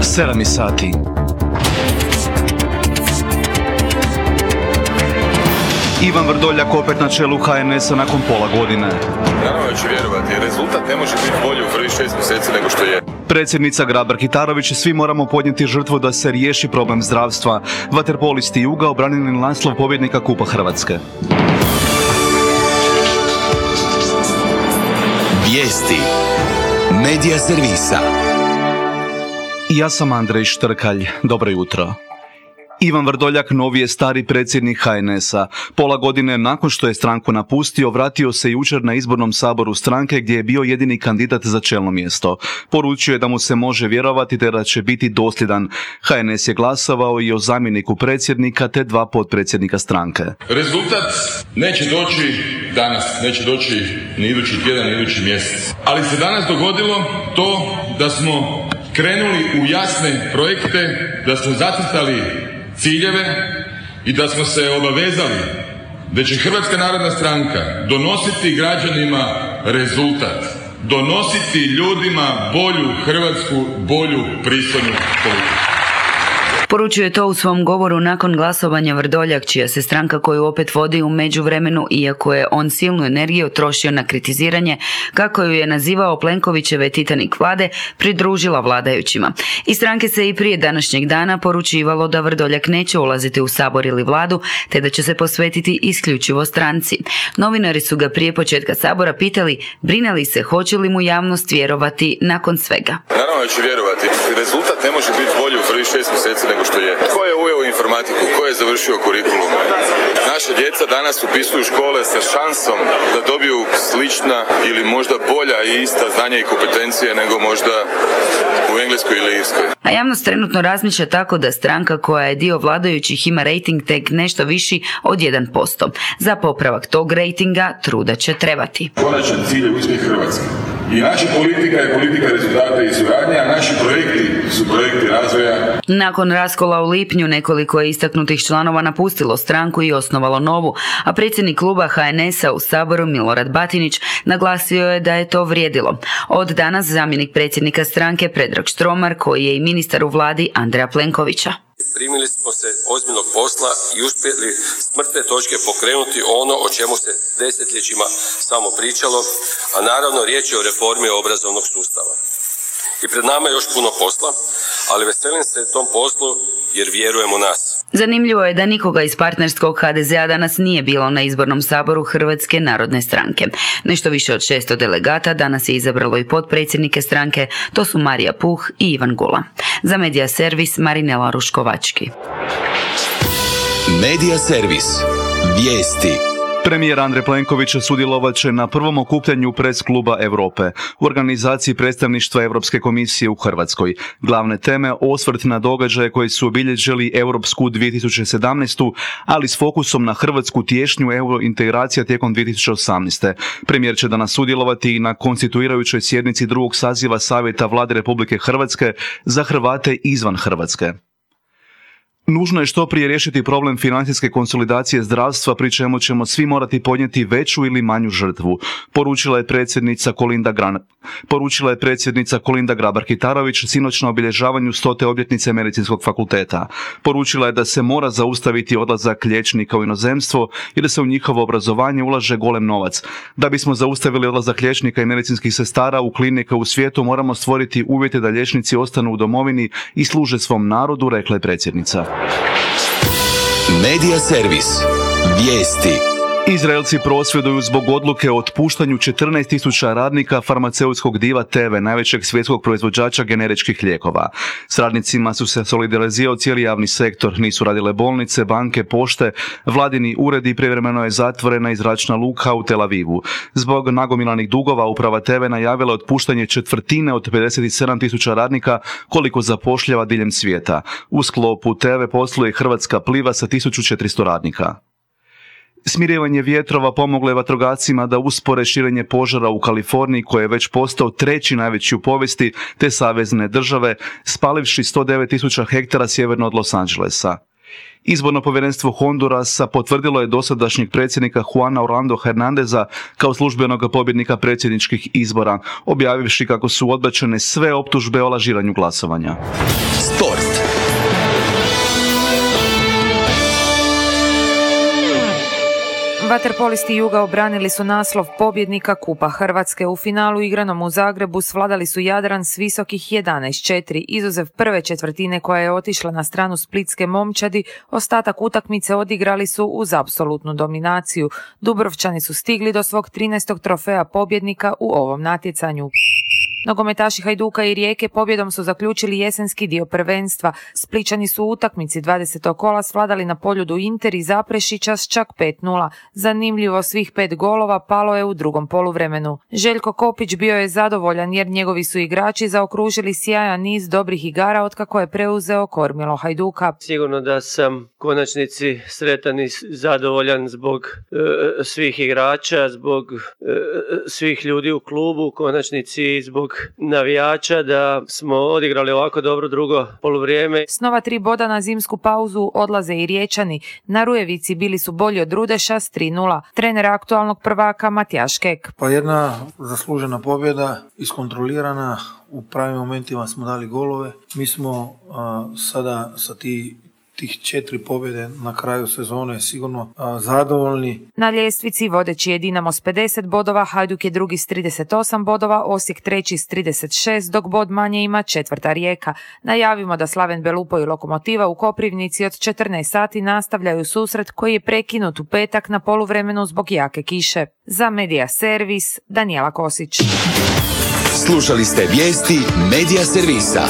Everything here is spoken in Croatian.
7 sati. Ivan Vrdoljak opet na čelu HNS-a nakon pola godine. Naravno ću vjerovati, rezultat ne može biti bolji u prvih 6 mjeseci nego što je. Predsjednica Grabar-Kitarović, svi moramo podnijeti žrtvu da se riješi problem zdravstva. Vaterpolisti Juga obranili naslov pobjednika Kupa Hrvatske. Vijesti Medija servisa. Ja sam Andrej Štrkalj. Dobro jutro. Ivan Vrdoljak novi je stari predsjednik HNS-a. Pola godine nakon što je stranku napustio, vratio se jučer na izbornom saboru stranke gdje je bio jedini kandidat za čelno mjesto. Poručio je da mu se može vjerovati te da će biti dosljedan. HNS je glasovao i o zamjeniku predsjednika te 2 potpredsjednika stranke. Rezultat neće doći danas, neće doći ni idući tjedan, ni idući mjesec. Ali se danas dogodilo to da smo krenuli u jasne projekte, da smo zacrtali ciljeve i da smo se obavezali da će Hrvatska narodna stranka donositi građanima rezultat, donositi ljudima bolju Hrvatsku, bolju pristojnu politiku. Poručio je to u svom govoru nakon glasovanja Vrdoljak, čija se stranka koju opet vodi u međuvremenu, iako je on silnu energiju trošio na kritiziranje, kako ju je nazivao Plenkovićeve Titanik vlade, pridružila vladajućima. Iz stranke se i prije današnjeg dana poručivalo da Vrdoljak neće ulaziti u sabor ili vladu, te da će se posvetiti isključivo stranci. Novinari su ga prije početka sabora pitali brine li se hoće li mu javnost vjerovati nakon svega. Naravno ću vjerovati, rezultat ne može biti bolji u prvih 6 mjeseci nego što je. Ko je uveo informatiku? Ko je završio kurikulum? Naša djeca danas upisuju škole sa šansom da dobiju slična ili možda bolja i ista znanja i kompetencije nego možda u Engleskoj ili Irskoj. A javnost trenutno razmišlja tako da stranka koja je dio vladajućih ima rejting tek nešto viši od 1%. Za popravak tog rejtinga truda će trebati. Konačan cilj je uspjeh Hrvatske. I naša politika je politika rezultata i suradnje, a naši projekti su projekti razvoja. Nakon raskola u lipnju nekoliko je istaknutih članova napustilo stranku i osnovalo novu, a predsjednik kluba HNS-a u Saboru Milorad Batinić naglasio je da je to vrijedilo. Od danas zamjenik predsjednika stranke Predrag Štromar, koji je i ministar u vladi Andreja Plenkovića. Primili smo se ozbiljnog posla i uspjeli s mrtve točke pokrenuti ono o čemu se desetljećima samo pričalo, a naravno riječ je o reformi obrazovnog sustava. I pred nama je još puno posla, ali veselim se tom poslu jer vjerujem u nas. Zanimljivo je da nikoga iz partnerskog HDZ-a danas nije bilo na izbornom saboru Hrvatske narodne stranke. Nešto više od 600 delegata danas je izabralo i potpredsjednike stranke, to su Marija Puh i Ivan Gula. Za Medija servis Marinela Ruškovački. Medija servis. Vijesti. Premijer Andrej Plenković sudjelovat će na prvom okupljanju Press kluba Europe u organizaciji predstavništva Europske komisije u Hrvatskoj. Glavne teme osvrt na događaje koji su obilježili Europsku 2017. ali s fokusom na hrvatsku tješnju eurointegracija tijekom 2018. Premijer će danas sudjelovati i na konstituirajućoj sjednici 2. saziva Savjeta Vlade Republike Hrvatske za Hrvate izvan Hrvatske. Nužno je što prije riješiti problem financijske konsolidacije zdravstva, pri čemu ćemo svi morati podnijeti veću ili manju žrtvu, poručila je predsjednica Kolinda Grabar-Kitarović sinoć na obilježavanju 100. obljetnice Medicinskog fakulteta. Poručila je da se mora zaustaviti odlazak liječnika u inozemstvo i da se u njihovo obrazovanje ulaže golem novac. Da bismo zaustavili odlazak liječnika i medicinskih sestara u klinike u svijetu, moramo stvoriti uvjete da liječnici ostanu u domovini i služe svom narodu, rekla je predsjednica. Medija servis. Vijesti. Izraelci prosvjeduju zbog odluke o otpuštanju 14.000 radnika farmaceutskog diva Teve, najvećeg svjetskog proizvođača generičkih lijekova. S radnicima su se solidarizirao cijeli javni sektor, nisu radile bolnice, banke, pošte, vladini uredi, privremeno je zatvorena i zračna luka u Tel Avivu. Zbog nagomilanih dugova uprava Teve najavila otpuštanje 1/4 od 57.000 radnika koliko zapošljava diljem svijeta. U sklopu Teve posluje Hrvatska Pliva sa 1.400 radnika. Smirivanje vjetrova pomoglo je vatrogascima da uspore širenje požara u Kaliforniji, koji je već postao 3. najveći u povijesti te savezne države, spalivši 109.000 hektara sjeverno od Los Angelesa. Izborno povjerenstvo Hondurasa potvrdilo je dosadašnjeg predsjednika Juana Orlando Hernandeza kao službenog pobjednika predsjedničkih izbora, objavivši kako su odbačene sve optužbe o lažiranju glasovanja. Sport. Vaterpolisti Juga obranili su naslov pobjednika Kupa Hrvatske. U finalu igranom u Zagrebu svladali su Jadran s visokih 11-4. Izuzev prve četvrtine koja je otišla na stranu splitske momčadi, ostatak utakmice odigrali su uz apsolutnu dominaciju. Dubrovčani su stigli do svog 13. trofeja pobjednika u ovom natjecanju. Nogometaši Hajduka i Rijeke pobjedom su zaključili jesenski dio prvenstva. Splićani su u utakmici 20. kola svladali na Poljudu Inter i Zaprešića s čak 5-0. Zanimljivo, svih 5 golova palo je u drugom poluvremenu. Željko Kopić bio je zadovoljan jer njegovi su igrači zaokružili sjajan niz dobrih igara otkako je preuzeo kormilo Hajduka. Sigurno da sam konačnici sretan i zadovoljan zbog svih igrača, zbog svih ljudi u klubu, konačnici zbog navijača da smo odigrali ovako dobro drugo poluvrijeme. S nova 3 boda na zimsku pauzu odlaze i Riječani. Na Rujevici bili su bolji od Rudeša s 3-0. Trener aktualnog prvaka Matijaš Kek. Pa jedna zaslužena pobjeda, iskontrolirana, u pravim momentima smo dali golove. Mi smo sada sa tih 4 pobjede na kraju sezone sigurno zadovoljni. Na ljestvici vodeći je Dinamo s 50 bodova, Hajduk je drugi s 38 bodova, Osijek treći s 36, dok bod manje ima četvrta Rijeka. Najavimo da Slaven Belupo i Lokomotiva u Koprivnici od 14 sati nastavljaju susret koji je prekinut u petak na poluvremenu zbog jake kiše. Za Medija Servis, Danijela Kosić. Slušali ste vijesti Medija Servisa.